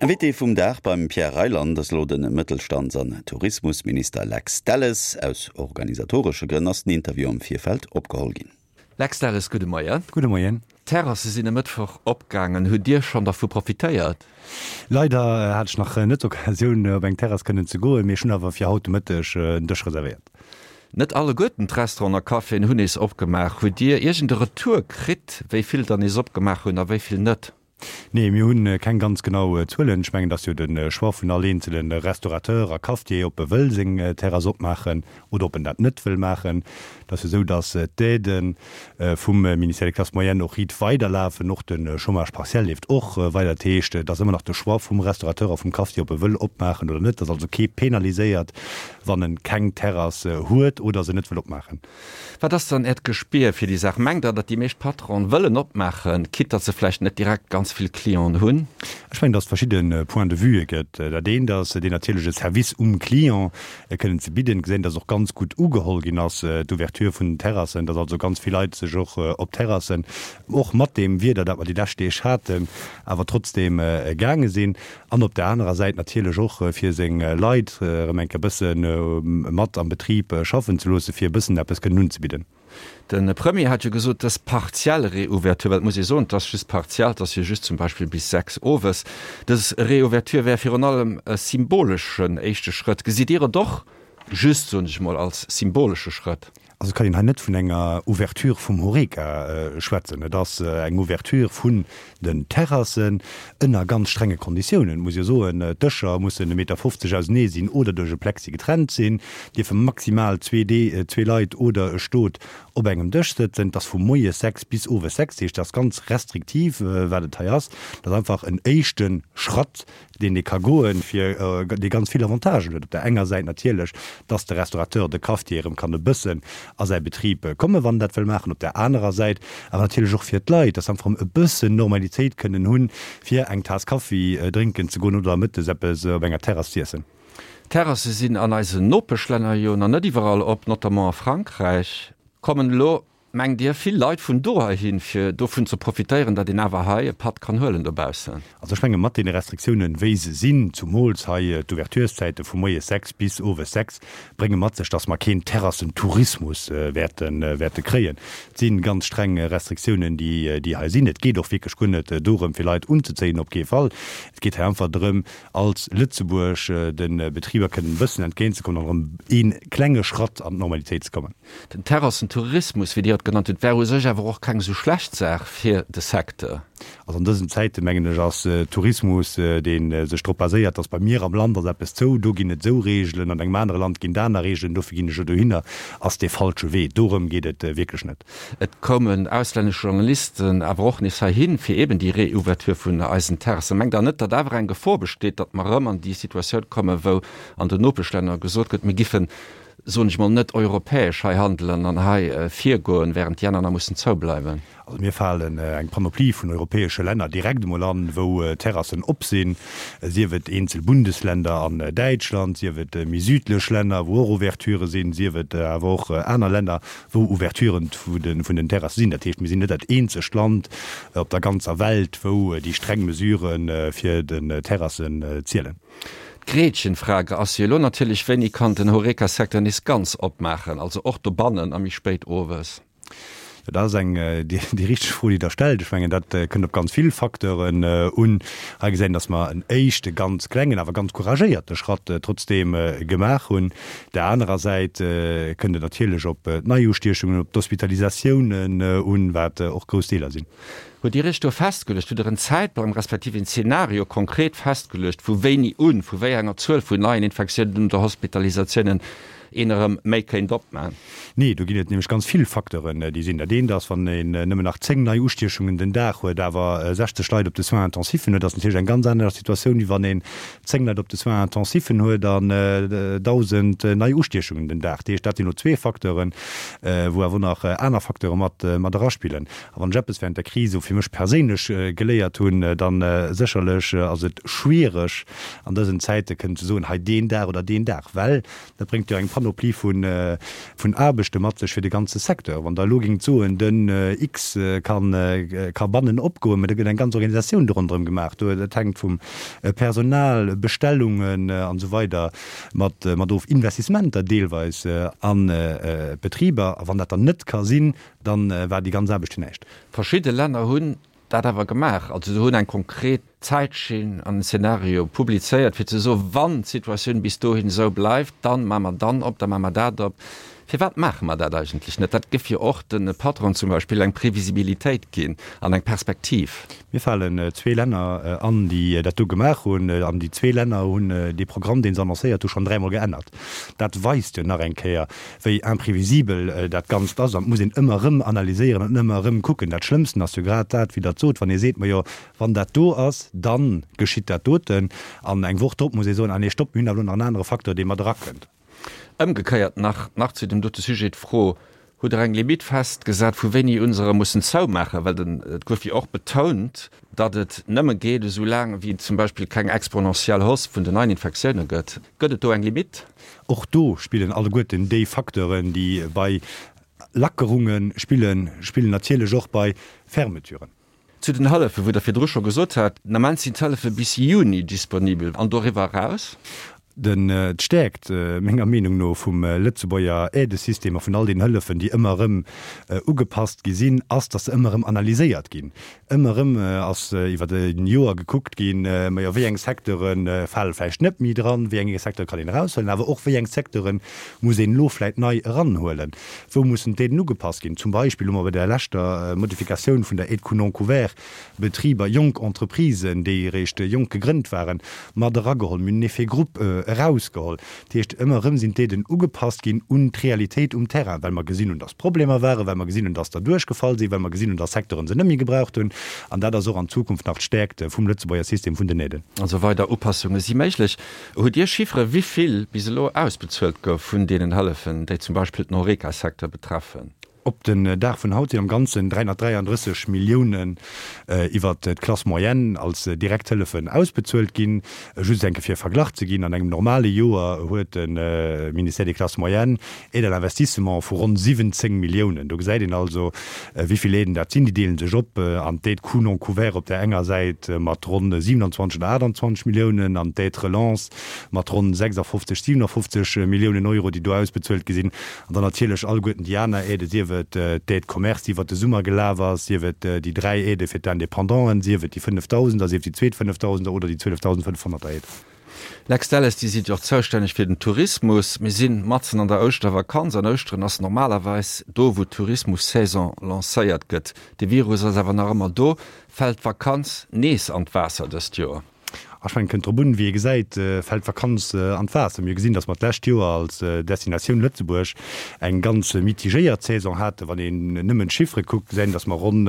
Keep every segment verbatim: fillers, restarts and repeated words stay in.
Invité vum Dag beim Pierre Reyland ass elo de Mëttelstands an Tourismusminister Lex Delles. Aus organisatoresche Grënn ass den Interview am Virfeld opgeholl ginn. Lex Delles, gudde Moien. Gudde Moien. D'Terrasse sinn e Mëttwoch opgaangen. Hutt Dir schonn dervu profitéiert? Leider hat ech nach net d'Occasioun op eng Terrass kënnen ze goen, mee ech hunn awer fir haut de Mëtteg en Dësch reservéiert. Net alleguerten d'Restauranten a Caféen hunn nees opgemaach. Hutt Dir iergend e Retour kritt, wéi vill der nees opgemaach hunn a wéi vill net? Nee, mir hunn keng ganz genau Zuelen. Ech mengen, et ass jo de Choix vun all eenzele Restaurateur a Cafetier, ob e wëll seng Terrass opmaachen oder ob en dat net wëll maachen. Et ass jo esou, datt d'Aidë vum Ministère des Classes moyennes och riit weiderlafen. Och de Chômage partiel leeft och weider. Dat heescht, et ass ëmmer nach de Choix vum Restaurateur a vum Cafetier, ob e wëll opmaachen oder net. Et ass also kee penaliséiert, wann en keng Terrass huet oder se net wëll opmaachen. Wat ass dann Äert Gespier fir déi Saach? Mengt Der, datt déi meescht Patronen wëllen opmaachen, quitte datt se vläicht net direkt ganz vill Clienten hunn? Ech mengen, datt et verschidde Points de vueë gëtt. Dat eent ass deen natierleche Service um Client kënnen ze bidden. Gesinn, datt och ganz gutt ugeholl ginn ass, d'Ouverture vun den Terrassen, datt also ganz vill Leit sech och op Terrassen, och mat deem Wieder, dat mer déi lescht Deeg haten, awer trotzdeem gaange sinn. An op der anerer Säit natierlech och fir seng Leit erëm eng Kéier e bësse mat am Betrib schaffen ze loossen, fir e bëssen eppes kënnen unzebidden. De Premier hat jo gesot, dës partiell Reouverture, well et muss ee soen, et ass just partiell, et ass jo just zum Beispill bis sechs owes, dës Reouverture wär virun allem e symboleschen éischte Schrëtt. Gesitt Dir et och just, soen ech emol, als symbolesche Schrëtt? Also et kann een hei net vun enger Ouverture vum Horeca schwätzen. Et ass eng Ouverture vun den Terrassen ënner ganz strenge Konditiounen. Et muss jo soen, d'Dëscher mussen e Meter fofzeg ausenee sinn oder duerch e Plexi getrennt sinn, dierfe maximal zwee zwee Leit oder e Stot op engem Dësch sëtzen. Et ass vu moies sechs bis owes sechs. Dat heescht, et ass ganz restriktiv, wat et hei ass. Et ass einfach en éischte Schratt, deen ee ka goen, fir dee ganz vill Avantagen huet. Op der enger Säit natierlech, dass de Restaurateur, de Cafetier erëm kann e bëssen a säi Betrib kommen, wann en dat wëll maachen, op der anerer Säit awer natierlech och fir d'Leit, dass se einfach erëm e bëssen Normalitéit kënnen hunn, fir eng Taass Kaffi drénken ze goen oder mëttes eppes op enger Terrass z'iessen. D'Terrasse sinn an eisen Nopeschlänner jo nach net iwwerall op, notamment a Frankräich. Kommen elo Mengt Dir, vill Leit vun do heihin, fir dovun ze profitéieren, datt een awer hei e Patt kann huelen dobaussen? Also ech menge mat deene Restriktiounen, wéi se sinn, zumools hei d'Ouvertureszäite vu moies sechs bis owes sechs, brénge mat sech, datt mer keen Terrassentourismus wäerte wäerte kréien. Et si ganz streng Restriktiounen, déi déi hei sinn. Et geet och wierklech guer net dorëm, fir Leit unzezéien, op kee Fall. Et geet hei einfach drëm, als Lëtzebuerg de Betriber kënnen e bëssen entgéintzekommen an erëm ee klenge Schratt an d'Normalitéit ze kommen. Den Terrassentourismus, wéi Dir et genannt hutt, wär u sech awer och keng esou schlecht Saach fir de Secteur. Also an dësen Zäiten, mengen ech, ass Tourismus, dee sech drop baséiert, dass bei mir am Land ass eppes zou, do ginn et esou Reegelen, an engem anere Land ginn et aner Reegelen, dofir ginn ech elo dohinner, ass dee falsche Wee. Dorëm geet et wierklech net. Et koumen auslännesch Journalisten awer och nees heihin, fir eeben déi Reouverture vun eisen Terrassen. Mengt Der net, datt awer eng Gefor besteet, datt mer erëm an déi Situatioun kommen, wou an den Nopeschlänner gesot gëtt, mir giffen soen ech mol, net europäesch hei handelen an hei virgoen, während déi aner nach mussen zoubleiwen? Also mir falen eng Panoplie vun europäesche Länner direkt emol an, wou Terrassen op sinn, sief et eenzel Bundesländer an Däitschland, sief et méi südlech Länner, wou och Ouverturë sinn, sief et awer och aner Länner, wou Ouverturen vun den Terrasse sinn. Dat heescht, mir sinn net dat eenzegt Land op der ganzer Welt, wou déi streng Mesurë fir den Terrassen zielen. D'Gretchenfrage ass jo elo natierlech, Wéini kann den Horeca-Secteur nees ganz opmaachen, also och dobannen a méi spéit owes? Jo, dat ass eng déi richteg Fro, déi Der stellt. Ech mengen, dat kënnt op ganz vill Facteuren un. Hei gesäit een, datt mer en éischte ganz klengen, awer ganz couragéierte Schratt trotzdeem gemaach hunn. Der anerer Säit kënnt et natierlech op d'Neiustiechungen, op d'Hospitalisatiounen un, wat och grouss Deeler sinn. Hutt Dir Iech do festgeluecht, hutt Der en Zäitplang respektiv en Zeenario konkret festgeluecht, vu wéini un, vu wéi enger Zuel vun neien Infektiounen oder Hospitalisatiounen een erëm méi kéint opman? Nee, do ginn et nämlech ganz vill Facteuren, déi sinn. Dat eent ass, wann een nëmmen nach zéng nei Ustiechungen den Dag huet, awer sechzeg Leit op de Soins intensifen huet, ass natierlech eng ganz aner Situatioun, wéi wann een zéng Leit op de Soins intensifen huet an dausend nei Ustiechungen den Dag. Dat heescht, dat sinn elo zwee Facteuren, wou awer och nach aner Facteure mat eraspillen. A wann ech eppes während der Kris esou fir mech perséinlech geléiert hunn, dann sécherlech ass et schwiereg an dësen Zäite kënnen ze soen, hei deen Dag oder deen Dag, well dat bréngt jo eng Panoplie vun Aarbechte mat sech fir de ganze Secteur. Wann Der elo géingt soen, den X kann ka bannen opgoen, mä da gëtt eng ganz Organisatioun do ronderëm gemaach. Do, dat hänkt vum Personal, Bestellungen an esou weider mat mat of, Investissementer deelweis an d'Betriber. A wann dat dann net ka sinn, dann war déi ganz Aarbecht fir näischt. Verschidde Länner hunn dat awer gemaach. Also se hunn eng konkret Zäitschinn an en Szenario publizéiert, fir ze soen, wann d'Situatioun bis dohin esou bleift, dann maache mer dann op, da maache mer dat op. Firwat maache mer dat eigentlech net? Dat géif jo och de Patronen zum Beispill eng Previsibilitéit ginn an eng Perspektiv. Mir falen zwee Länner an, déi dat do gemaach hunn. An déi zwee Länner hunn dee Programm, dee se annoncéiert hu, schonn dräimol geännert. Dat weist jo nach eng Kéier, wéi imprévisibel dat Ganzt ass. An et muss een ëmmer erëm analyséieren an ëmmer erëm kucken. Dat Schlëmmsten ass jo grad dat, wéi Der et sot, wann ee seet, Majo, wann dat do ass, da geschitt dat doten. An eng Woch drop muss ee soen, Ah nee, stopp, mir hunn awer elo nach en anere Facteur, dee mat erakënnt. Ëmgekéiert nach nach zu dem dote Sujet d'Fro, Hutt Der eng Limitt festgesat, vu wéini un se erëm mussen zoumaachen? Well den, et gouf jo och betount, datt et nëmme geet, esou laang wéi et zum Beispill keng exponentiell Hausse vun den neien Infektioune gëtt. Gëtt et do eng Limitt? Och do spillen alleguerten déi Facteuren, déi bei Lackerunge spillen, spillen natierlech och bei Fermeturen. Zu den Hëllefen, wou Der virdru scho gesot hat, den Ament sinn d'Hëllefe bis Juni disponibel an doriwwer eraus? Den, d'Stäerkt, menger Meenung no, vum Lëtzebuerger Aidesystem a vun all den Hëllefen, déi ëmmer erëm ugepasst gi sinn, ass, datt se ëmmer erëm analyséiert ginn. Ëmmer erëm ass iwwer e Joer gekuckt ginn, majo, wéi eng Secteure fale vläicht net méi dran, wéi eng Secteure kann een eraushuelen, awer och wéi eng Secteure muss een elo vläicht nei eranhuelen, wou mussen d'Aiden ugepasst ginn. Zum Beispill hu mer bei der leschter Modifikatioun vun der Aide coût non couvert Betriber, jonk Entreprisen, déi eréischt jonk gegrënnt waren, mat erageholl. Mir hunn en Effet groupe erausgeholl. Dat heescht, ëmmer erëm sinn d'Aiden ugepasst ginn un d'Realitéit um Terrain, well mer gesinn hunn, dass Problemer waren, well mer gesinn hunn, dass der duerchgefall sinn, well mer gesinn hunn, dass Secteuren se net méi gebraucht hunn. An dat ass och an Zukunft nach d'Stäerkt vum Lëtzebuerger System vun den Aiden. Also weider Upassunge si méiglech. Hutt Dir Chiffere wéi vill bis elo ausbezuelt gouf vun deenen Hëllefen, déi zum Beispill den Horeca-Secteur betreffen? Op den Dag vun haut sinn am Ganzen dräihunnertdräianddrësseg Milliounen iwwert d'Classe moyenne als Direkthëllefen ausbezuelt ginn. Just enke fir e Verglach ze ginn, An engem normale Joer huet de Ministère des Classes moyennes Aide à l'investissement vu ronn siwwenzéng Milliounen. Do gesäit een also, wéi vill Aiden dat sinn. Déi deele sech op an d'Aide coût non couvert op där enger Säit mat ronn siewenundzwanzeg oder aachtandzwanzeg Milliounen an d'Aide relance mat ronn sechsafofzeg, siewenafofzeg Milliounen Euro, déi do ausbezuelt gi sinn. An dann natierlech alleguerten déi aner Aiden, sief et d'Aide commerce, déi iwwert de Summer gelaf ass, sief et déi dräi Aidë fir d'Independanten, sief et déi Fënnefdausender, sief déi zweet Fënnefdausender oder déi zwielefdausendfënnefhonnerter Aide. Lex Delles, Dir sidd jo och zoustänneg fir den Tourismus. Mir si matzen an der Ouschtervakanz an Ouschteren ass normalerweis do, wou d'Tourismussaison lancéiert gëtt. De Virus ass awer nach ëmmer do. Fält d'Vakanz nees an d'Waasser dëst Joer? Ech mengen, kënnt drop un, wéi ee gesäit, fält d'Vakanz an d'Waasser. Mir hu gesinn, datt mer d'lescht Joer als Destinatioun Lëtzebuerg eng ganz mitigéiert Saison haten. Wann een nëmmen d'Chiffere kuckt, gesäit een, datt mer ronn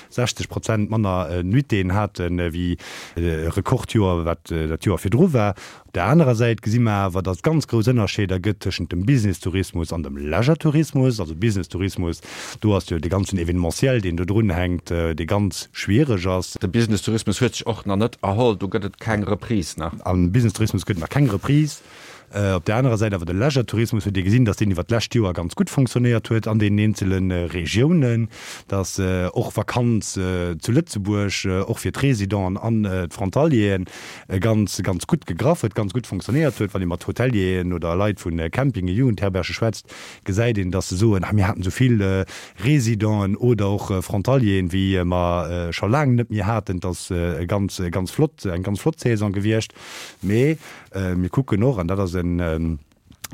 sechzeg Prozent manner Nuitéen haten, wéi e Rekordjoer, wat dat Joer virdru war. Op där anerer Säit gesi mer awer, datt et ganz grouss Ënnerscheeder gëtt tëschent dem Business-Tourismus an dem Leisure-Tourismus. Also Business-Tourismus, do ass jo dee ganzen Événementiel, deen do drunhänkt, dee ganz schwiereg ass. De Business-Tourismus huet sech och nach net erholl, do gëtt et keng Reprise nach. Am Business-Tourismus gëtt et nach keng Reprise. Op där anerer Säit awer de Leisure-Tourismus huet ee gesinn, datt deen iwwert d'lescht Joer ganz gutt fonctionnéiert huet an deenen eenzele Regiounen, datt och Vakanz zu Lëtzebuerg och fir d'Residenten an d'Frontalieren ganz, ganz gutt gegraff huet, ganz gutt fonctionnéiert huet. Wann ee mat Hotelieren oder Leit vu Campingen, Jugendherberge schwätzt, gesäit een, datt se soen, ah mir haten esou vill Residenten oder och Frontalieren, wéi mer scho laang net méi haten. Et ass e ganz, ganz flott, eng ganz flott Saison gewiescht. Mee mir kucken och, an dat ass e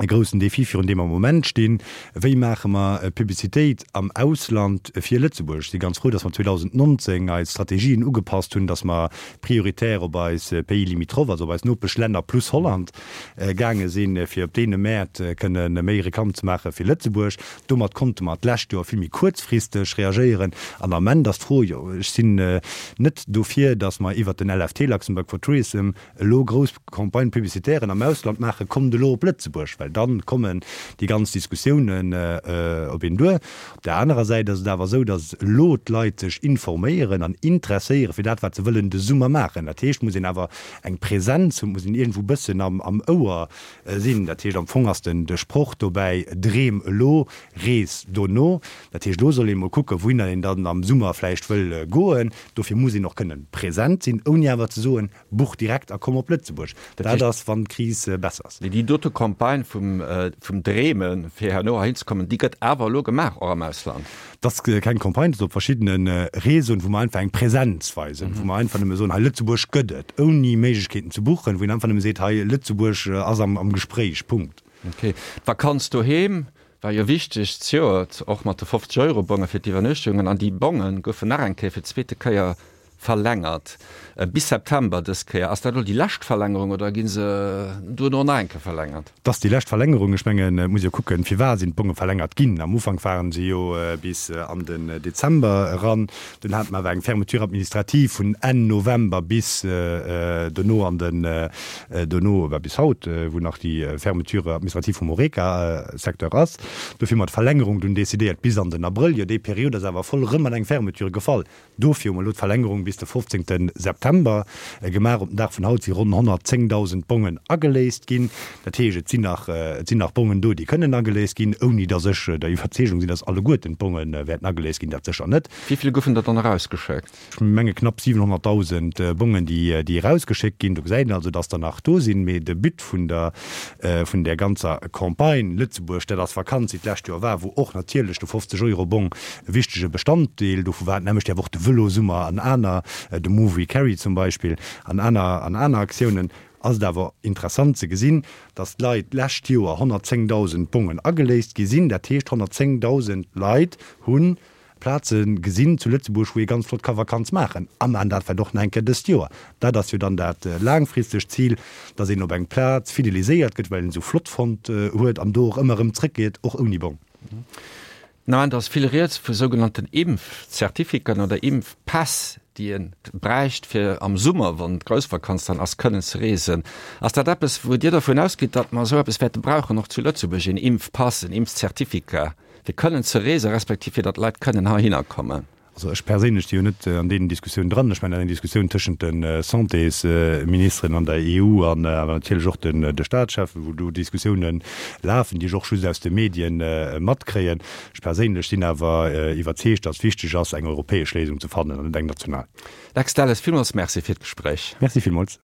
groussen Défi, virun deem mer am Moment stinn, Wéi maache mer Publicitéit am Ausland fir Lëtzebuerg? Ech si ganz frou, datt mer zweedausendnonzéng eis Strategien ugepasst hunn, datt mer prioritär op eis Pays limitrophes, also op eis Nopeschlänner plus Holland gaange sinn, fir op deene Mäert kënne méi Reklamm ze maache fir Lëtzebuerg. Domat konnte mer d'lescht Joer vill méi kuerzfristeg reagéieren. An am Ament ass d'Fro, jo, ech sinn net dofir, datt mer iwwert den L F T, Luxembourg for Tourism, elo grouss Campagne-publicitären am Ausland maachen, kommt elo op Lëtzebuerg, well well dann kommen déi ganz Diskussiounen op een duer. Op där anerer Säit ass et awer esou, datt elo d'Leit sech informéieren an interesséiere fir dat, wat se wëllen de Summer maachen. Dat heescht, et muss een awer eng Präsenz hunn, et muss een iergendwou e bëssen am Ouer sinn. Dat heescht, am Fong ass den de Sproch dobäi, Dreem elo, rees dono. Dat heescht, elo soll ee mol kucken, wouhinner een dann am Summer vläicht wëll goen. Dofir muss een och kënnen present sinn, ouni awer ze soen, Buch direkt a komm op Lëtzebuerg. Dat ass, wann d'Kris besser ass. Mee déi dote Campagne vum, vum Dreemen, fir herno heihin ze kommen, déi gëtt awer elo gemaach, och am Ausland. Dat ass keng Campagne, dat ass op verschiddene Réseauen, wou mer einfach eng Präsenz weisen, wou mer einfach nëmme soen, hei Lëtzebuerg gëtt et, ouni Méiglechkeeten ze buchen, wou een einfach nëmme seet, hei Lëtzebuerg ass am, am Gespréich, Punkt. Ok. D'Vakanz doheem war jo wichteg zejoert, och mat de fofzeg Euro Bonge fir d'Iwwernuechtungen. An déi Bonge goufen nach eng Kéier fir d'zweete Kéier verlängert, bis September dës Kéier. Ass dat elo déi lescht Verlängerung oder gi se duerno nach eng Kéier verlängert? Et ass déi lescht Verlängerung. Ech mengen, et muss ee jo kucken, firwat sinn d'Bonge verlängert ginn. Am Ufank ware se jo bis an den Dezember eran. Dunn hate mer awer eng Fermeture administrative vun Enn November bis dono an den, dono, bis haut, wou nach déi Fermeture administrative vum Horeca-Secteur ass. Dofir hu mer d'Verlängerung dunn decidéiert bis an den Abrëll. Jo, déi Period ass awer voll erëm an eng Fermeture gefall. Dofir hu mer elo d'Verlängerung bis de fofzéngte September gemaach. Op den Dag vun haut si ronn honnertzéngdausend Bongen ageléist ginn. Dat heescht, et sinn nach, et sinn nach Bongen do, déi kënnen ageléist ginn, ouni datt ech der Iwwerzeegung sinn, datt alleguerten d'Bonge wäerten ageléist ginn. Dat sécher net. Wéi vill goufen der dann erausgeschéckt? Ech menge knapp siwenhonnertdausend Bongen, déi, déi erausgeschéckt ginn. Do gesäit een also, datt der nach do sinn. Mee de But vun der, vun där ganzer Campagne Lëtzebuerg, dat ass Vakanz, déi d'lescht Joer war, wou och natierlech de fofzeg-Euro-Bong e wichtege Bestanddeel dovu war, nämlech därf och de Vëlosummer an aner, de Move We Carry zum Beispill, an aner, an aner Aktiounen, ass et awer interessant ze gesinn, dass d'Leit d'lescht Joer honnertzéngdausend Bongen ageléist gi sinn. Dat heescht, honnertzéngdausend Leit hu Plaze gesinn zu Lëtzebuerg, wou ee ganz flott ka Vakanz maachen. A maachen dat vläicht och nach eng Kéier dëst Joer. Dat ass jo dann dat laangfristegt Zil, dass een op eng Plaz fideliséiert gëtt, well een se esou flott fonnt huet an do och ëmmer erëm zrëckgeet, och ouni Bong. Den Ament ass vill rieds vu sougenannten Impfzertificaten oder Impfpäss, déi ee bräicht, fir am Summer, wann d'Groussvakanz dann ass, kënnen ze reesen. Ass dat eppes, wou Dir dervun ausgitt, datt mer esou eppes wäerte brauchen, och zu Lëtzebuerg, een Impfpass, en Impfzertificat, fir kënnen ze reesen, respektiv fir datt Leit kënnen heihinner kommen? Also ech perséinlech si jo net an deenen Diskussiounen dran. Ech mengen, dat ass eng Diskussioun tëschent de Santésministeren an der E U an awer natierlech och de Staatscheffen, wou do Diskussiounen lafen, déi ech och just aus de Medien matkréien. Ech perséinlech sinn awer iwwerzeegt, datt et wichteg ass, eng europäesch Léisung ze fannen an net eng national. Lex Delles, villmools Merci fir d'Gespréich. Merci villmools.